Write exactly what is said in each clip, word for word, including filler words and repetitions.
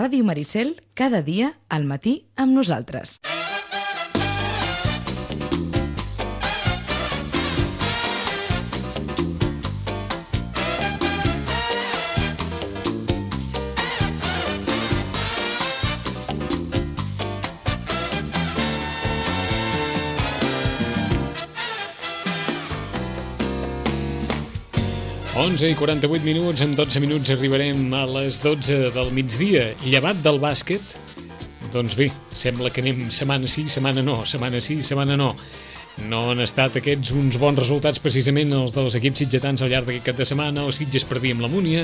Ràdio Maricel, cada dia al matí amb nosaltres. onze i quaranta-vuit minuts, en dotze minuts arribarem a les dotze del migdia. Llevat del bàsquet, doncs bé, sembla que anem setmana sí, setmana no, setmana sí, setmana no. No han estat aquests uns bons resultats precisament els dels equips sitgetans al llarg d'aquest cap de setmana. El Sitges perdia amb la Múnia,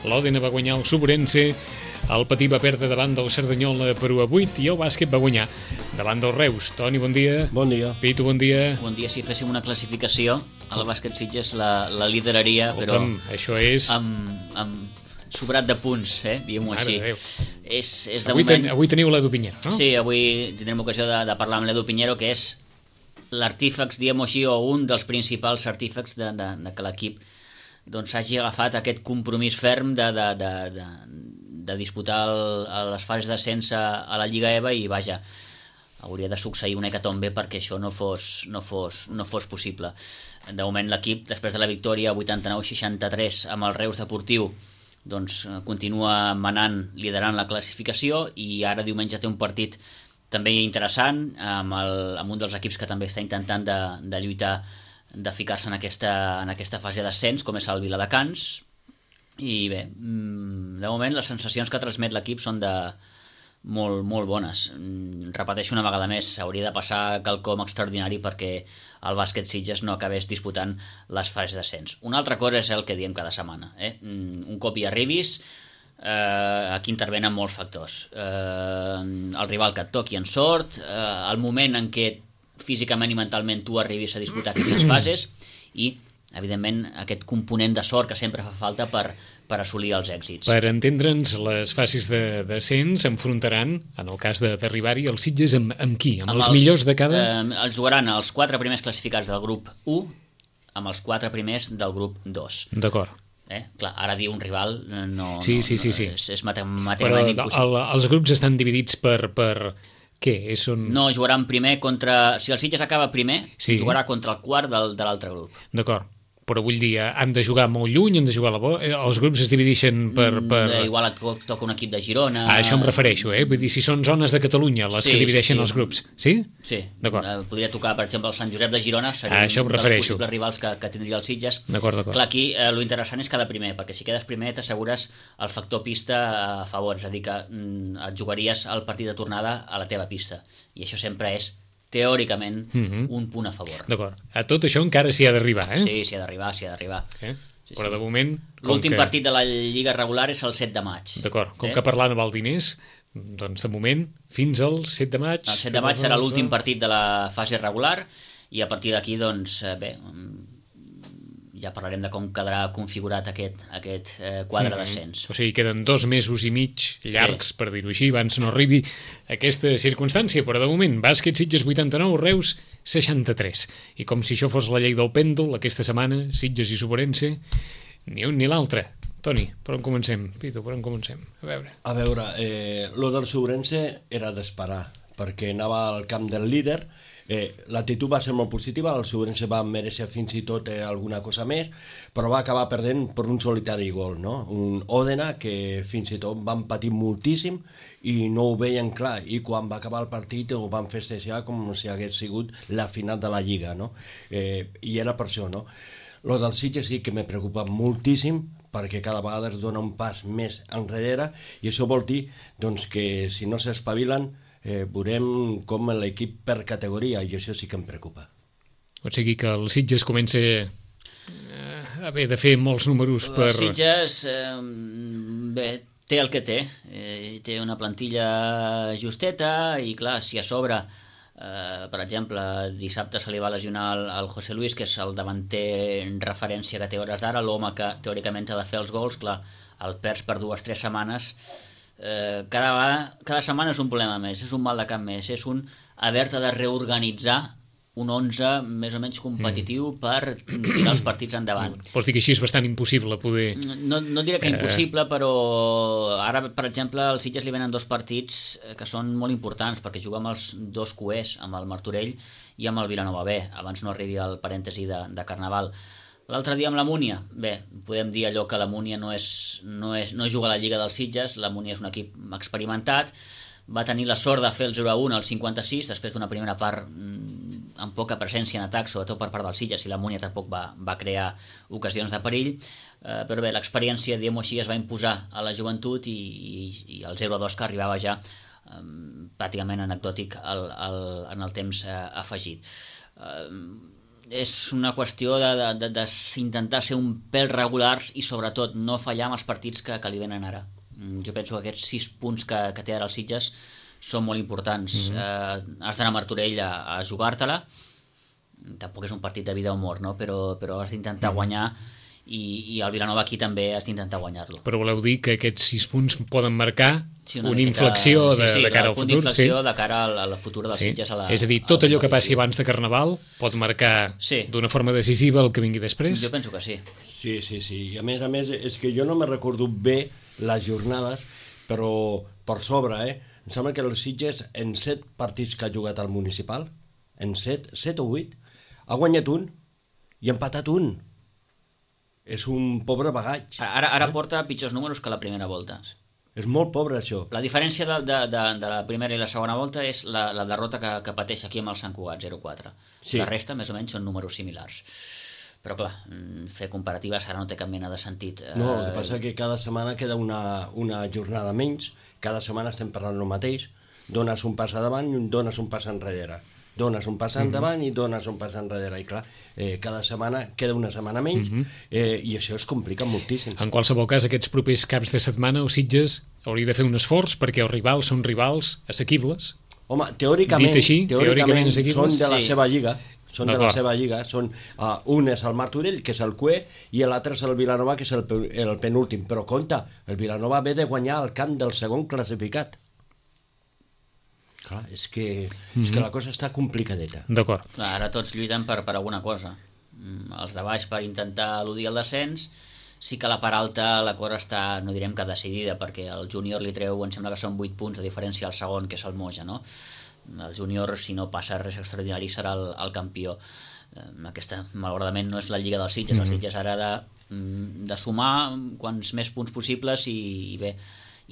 l'Òdena va guanyar el Sobrense, el Patí va perdre davant del Cerdanyola per u a vuit i el bàsquet va guanyar davant del Reus. Toni, bon dia. Bon dia. Pitu, bon dia. Bon dia. Si féssim una classificació, el bàsquet Sitges la, la lideraria, Escolta'm, però això és... amb, amb sobrat de punts, eh? diguem-ho així. És, és de avui, moment... ten, avui teniu l'Edu Piñero, no? Sí, avui tindrem ocasió de, de parlar amb l'Edu Piñero, que és l'artífex, diguem-ho així, o un dels principals artífecs de, de, de que l'equip doncs, hagi agafat aquest compromís ferm de, de, de, de, de disputar el, les fases d'ascens a, a la Lliga EVA i, vaja, hauria de succeir una hecatombe perquè això no fos, no fos, no fos possible. De moment l'equip, després de la victòria vuitanta-nou seixanta-tres amb el Reus Deportiu, doncs continua manant, liderant la classificació i ara diumenge té un partit també interessant amb, el, amb un dels equips que també està intentant de, de lluitar, de ficar-se en aquesta, en aquesta fase d'ascens, com és el Viladecans. I bé, de moment les sensacions que transmet l'equip són de molt, molt bones. Repeteixo una vegada més, hauria de passar quelcom extraordinari perquè el bàsquet Sitges no acabés disputant les fases d'ascens. Una altra cosa és el que diem cada setmana. Eh? Un cop hi arribis, eh, aquí intervenen molts factors. Eh, el rival que et toqui en sort, eh, el moment en què físicament i mentalment tu arribis a disputar aquestes fases i, evidentment, aquest component de sort que sempre fa falta per, per assolir els èxits. Per entendre'ns, les fases de descens enfrontaran, en el cas d'arribar-hi, els Sitges amb, amb qui? Amb, amb els, els millors de cada... Eh, els jugaran els quatre primers classificats del grup u amb els quatre primers del grup dos. D'acord. Eh? Clar, ara dir un rival no, sí, sí, no, sí, sí. és, és matemàticament impossible. Però el, els grups estan dividits per... per... Què? On... No, jugaran primer contra... Si el Sitges acaba primer, sí. jugarà contra el quart del, de l'altre grup. D'acord. Però vull dir, han de jugar molt lluny, han de jugar a la bo... Els grups es divideixen per... per... Mm, igual et toca un equip de Girona... A això em refereixo, eh? Vull dir, si són zones de Catalunya les sí, que divideixen sí, sí. els grups. Sí? Sí. D'acord. Podria tocar, per exemple, el Sant Josep de Girona, seria això un dels possibles rivals que, que tindria el Sitges. D'acord, d'acord. Clar, aquí eh, lo interessant és cada primer, perquè si quedes primer t'assegures el factor pista a favor, és a dir, que mm, et jugaries el partit de tornada a la teva pista. I això sempre és teòricament, mm-hmm. un punt a favor. D'acord. A tot això encara s'hi ha d'arribar, eh? Sí, s'hi ha d'arribar, s'hi ha d'arribar. Eh? Sí, Però sí. de moment... L'últim que... partit de la Lliga regular és el set de maig. D'acord. Com eh? que parlant amb el diners, doncs de moment, fins al set de maig... El set de maig serà l'últim partit de la fase regular i a partir d'aquí, doncs, bé, ja parlarem de com quedarà configurat aquest, aquest eh, quadre mm-hmm. d'ascens. O sigui, queden dos mesos i mig llargs, sí. per dir-ho així, abans no arribi aquesta circumstància, però de moment, bàsquet Sitges vuitanta-nou, Reus seixanta-tres. I com si això fos la llei del pèndol, aquesta setmana, Sitges i Sobrense, ni un ni l'altre. Toni, per on comencem? Pitu, per on comencem? A veure. A veure, eh, lo del Sobrense era d'esperar, perquè anava al camp del líder. Eh, l'actitud va ser molt positiva, el Sobrense va mereixer fins i tot eh, alguna cosa més, però va acabar perdent per un solitari gol, no? Un Òdena que fins i tot van patir moltíssim i no ho veien clar, i quan va acabar el partit ho van festejar com si hagués sigut la final de la Lliga, no? Eh, I era per això, no? Lo del Sitges sí que me preocupa moltíssim, perquè cada vegada es dona un pas més enrere, i això vol dir doncs, que si no s'espavilen Eh, veurem com l'equip per categoria, i això sí que em preocupa. O sigui que el Sitges comença eh, a haver de fer molts números per... El Sitges eh, bé, té el que té, eh, té una plantilla justeta i clar, si a sobre eh, per exemple, dissabte se li va lesionar el, el José Luis, que és el davanter en referència que té hores d'ara, l'home que teòricament ha de fer els gols, clar, el perds per dues o tres setmanes. Eh, cada, cada setmana és un problema més, és un mal de cap més, és un haver-te de reorganitzar un onze més o menys competitiu mm. per tirar els partits endavant. Vols dir que així és bastant impossible poder... No, no diré que impossible, però ara, per exemple, als Sitges li venen dos partits que són molt importants, perquè juga amb els dos cuers, amb el Martorell i amb el Vilanova B, abans no arribi al parèntesi de, de Carnaval. L'altre dia amb la Múnia, bé, podem dir allò que la Múnia no, és, no, és, no juga a la Lliga dels Sitges, la Múnia és un equip experimentat, va tenir la sort de fer el zero a un al cinquanta-sis, després d'una primera part amb poca presència en atac, sobretot per part dels Sitges, i la Múnia tampoc va, va crear ocasions de perill, eh, però bé, l'experiència, diguem-ho així, es va imposar a la joventut i, i, i el zero a dos que arribava ja eh, pràcticament anecdòtic al, al, en el temps eh, afegit. Eh, és una qüestió d'intentar ser un pèl regulars i sobretot no fallar amb els partits que, que li venen ara. Jo penso que aquests sis punts que, que té ara els Sitges són molt importants. Mm-hmm. eh, has d'anar a Martorell a, a jugar-te-la, tampoc és un partit de vida o mort, no? però, però has d'intentar mm-hmm. guanyar i, i el Vilanova aquí també has d'intentar guanyar-lo. Però voleu dir que aquests sis punts poden marcar sí, una, una miqueta, inflexió de, sí, sí, de cara al futur? Sí, sí, inflexió de cara al, al futur dels sí. Sitges. A la, és a dir, tot allò que passi abans de Carnaval pot marcar sí. d'una forma decisiva el que vingui després? Jo penso que sí. Sí, sí, sí. I a més a més, és que jo no me recordo bé les jornades, però per sobre, eh? Em sembla que els Sitges, en set partits que ha jugat al municipal, en set, set o vuit, ha guanyat un i ha empatat un. És un pobre bagatge. Ara, ara eh? porta pitjors números que la primera volta. És molt pobre, això. La diferència de, de, de, de la primera i la segona volta és la, la derrota que, que pateix aquí amb el Sant Cugat, zero quatre. Sí. La resta, més o menys, són números similars. Però clar, fer comparatives ara no té cap mena de sentit. No, el que passa és que cada setmana queda una, una jornada menys, cada setmana estem parlant el mateix, dones un pas davant i dones un pas enrere, dones un pas endavant mm-hmm. i dones un pas enrere, i clar, eh, cada setmana queda una setmana menys, mm-hmm. eh, i això es complica moltíssim. En qualsevol cas, aquests propers caps de setmana els Sitges hauria de fer un esforç perquè els rivals són rivals assequibles. Home, teòricament, així, teòricament, teòricament són de la sí. seva lliga, són de la seva lliga, són, uh, un és el Martorell, que és el cuer, i l'altre és el Vilanova, que és el, el penúltim. Però compte, el Vilanova ve de guanyar el camp del segon classificat. Clar, és que, mm-hmm. és que la cosa està complicadeta. D'acord. Ara tots lluiten per, per alguna cosa. Els de baix per intentar eludir el descens, sí que a la part alta la cosa està, no direm que decidida, perquè el júnior li treu, em sembla que són vuit punts de diferència al segon, que és el Moja, no? El júnior, si no passa res extraordinari, serà el, el campió. Aquesta, malauradament, no és la Lliga dels Sitges. Mm-hmm. Els Sitges ara de, de sumar quants més punts possibles i, i bé,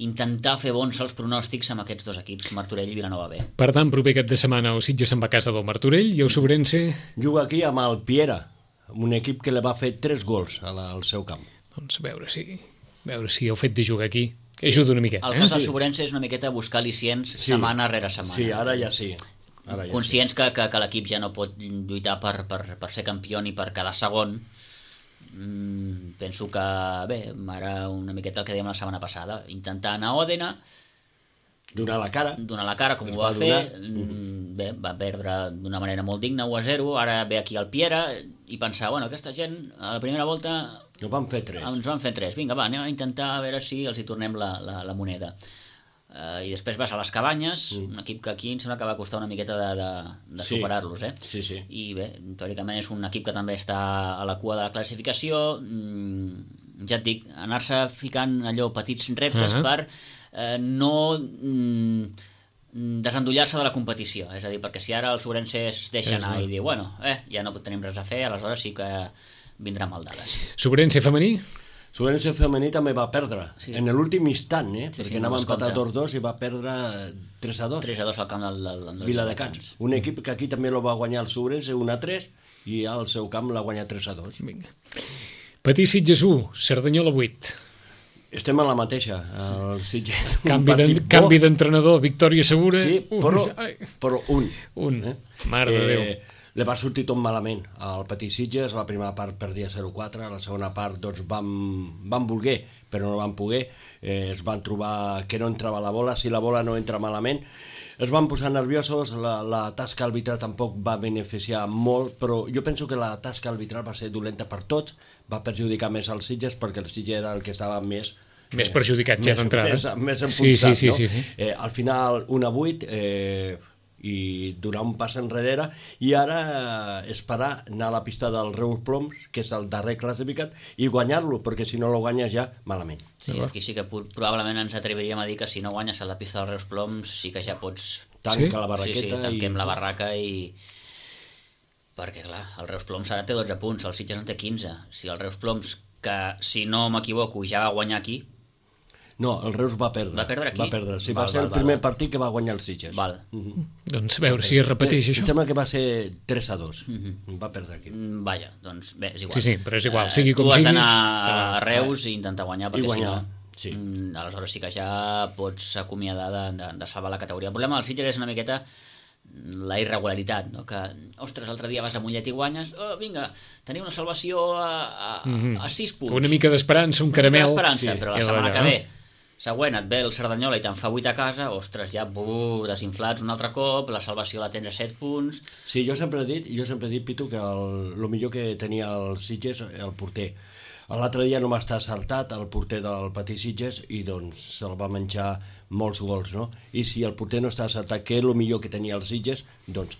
intentar fer bons els pronòstics amb aquests dos equips, Martorell i Vilanova B. Per tant, proper cap de setmana el Sitges se'n va a casa del Martorell i el Sobrense... Juga aquí amb el Piera, un equip que li va fer tres gols al, al seu camp. Doncs a veure si, a veure si el fet de jugar aquí sí. ajuda una miqueta. El cas del Sobrense és una miqueta buscar al·licients sí. setmana rere setmana. Sí, ara ja sí. Ara ja Conscients sí. que, que, que l'equip ja no pot lluitar per, per, per ser campió ni per quedar segon. Mm, penso que, bé, ara una miqueta el que dèiem la setmana passada, intentar anar a Òdena, donar la cara, donar la cara com ho va, va fer, mm, bé, va perdre d'una manera molt digna, u a zero, ara ve aquí al Piera i pensar, bueno, aquesta gent a la primera volta no van fer tres. Ens van fer tres. Vinga, va, anem a intentar a veure si els hi tornem la, la, la moneda. Uh, I després vas a les Cabanyes, mm. un equip que aquí em sembla que va costar una miqueta de, de, de sí. superar-los, eh? Sí, sí. I bé, teòricament és un equip que també està a la cua de la classificació. Mm, ja et dic, anar-se ficant allò petits reptes uh -huh. per eh, no mm, desendollar-se de la competició. És a dir, perquè si ara el Sobrense es deixa anar i diu, bueno, eh, ja no tenim res a fer, aleshores sí que vindrà mal dades. Sobrense femení? Sobrense femení també va perdre, sí. en l'últim instant, eh? Sí, perquè sí, anava no empatat dos dos i va perdre tres a dos. tres a dos al camp del, del, del Viladecans. Un equip que aquí també lo va guanyar el Sobrense un a tres i al seu camp l'ha guanyat tres a dos. Vinga. Patí Sitges u, Cerdanyola vuit. Estem a la mateixa, el Sitges. Canvi d'entrenador, victòria segura. Sí, però, però un. Un, eh? Mare de Déu. Eh, li va sortir tot malament al Patí Sitges, la primera part perdia zero quatre, la segona part doncs van, van voler, però no van poder, eh, es van trobar que no entrava la bola, si la bola no entra malament, es van posar nerviosos, la, la tasca arbitral tampoc va beneficiar molt, però jo penso que la tasca arbitral va ser dolenta per tots, va perjudicar més als Sitges perquè el Sitges era el que estava més... Més perjudicat eh, ja d'entrada. Més, més enfonsat, sí, sí, sí, no? Sí, sí. Eh, al final, un a vuit, eh, i donar un pas enrere, i ara esperar anar a la pista del Reus Ploms, que és el darrer classificat, i guanyar-lo, perquè si no lo guanyes ja, malament. Sí, aquí sí que probablement ens atreviríem a dir que si no guanyes a la pista del Reus Ploms sí que ja pots... Tanca sí? la barraqueta. Sí, sí, tanquem i... la barraca i... Perquè, clar, el Reus Ploms ara té dotze punts, el Sitges en té quinze. Si el Reus Ploms, que si no m'equivoco ja va guanyar aquí... No, el Reus va perdre. Va perdre aquí? Va perdre, sí, Val, va ser val, el primer val. partit que va guanyar el Sitges. Val. Mm-hmm. Doncs a veure si es repeteix Em això. sembla que va ser tres a dos. Mm-hmm. Va perdre aquí. Mm, Vaja, doncs bé, és igual. Sí, sí, però és igual, Eh, sigui com tu has sigui. d'anar Ah, a Reus i intentar guanyar, perquè guanyar, si no... sí. Mm, aleshores sí que ja pots acomiadar de, de, de salvar la categoria. El problema del Sitges és una miqueta la irregularitat, no? Que, ostres, l'altre dia vas a Mollet i guanyes, oh, vinga, teniu una salvació a, a, Mm-hmm. a sis punts. Una mica d'esperança, un caramel. Una mica d'esperança, Sí. però la I setmana alhora, que no? ve següent et ve el Cerdanyola i te'n fa vuit a casa, ostres, ja buh, desinflats un altre cop, la salvació la tens a set punts... Sí, jo sempre he dit, jo sempre he dit, Pitu, que el, el millor que tenia el Sitges, el porter. L'altre dia no m'està acertat el porter del Patí Sitges i doncs se'l va menjar molts gols, no? I si el porter no està acertat, que és el millor que tenia el Sitges, doncs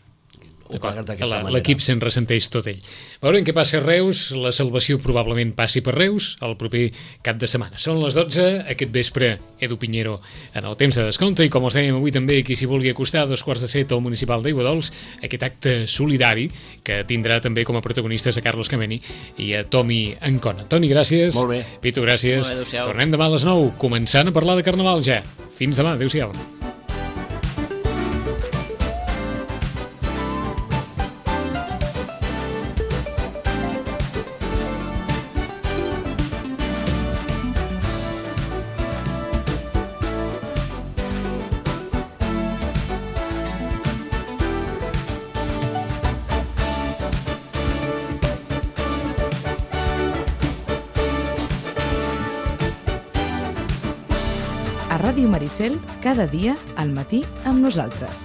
ho pagues d'aquesta manera. L'equip se'n ressenteix tot ell. Veurem què passa a Reus, la salvació probablement passi per Reus el proper cap de setmana. Són les dotze, aquest vespre Edu Piñero en el temps de descompte i com us dèiem avui també qui s'hi vulgui acostar a dos quarts de set al municipal d'Aiguadols, aquest acte solidari que tindrà també com a protagonistes a Carlos Cameni i a Tomi Ancona. Toni, gràcies. Molt bé. Pitu, gràcies. Molt bé, adéu-siau. Tornem demà a les nou, començant a parlar de Carnaval ja. Fins demà, adéu-siau. A Ràdio Maricel, cada dia al matí amb nosaltres.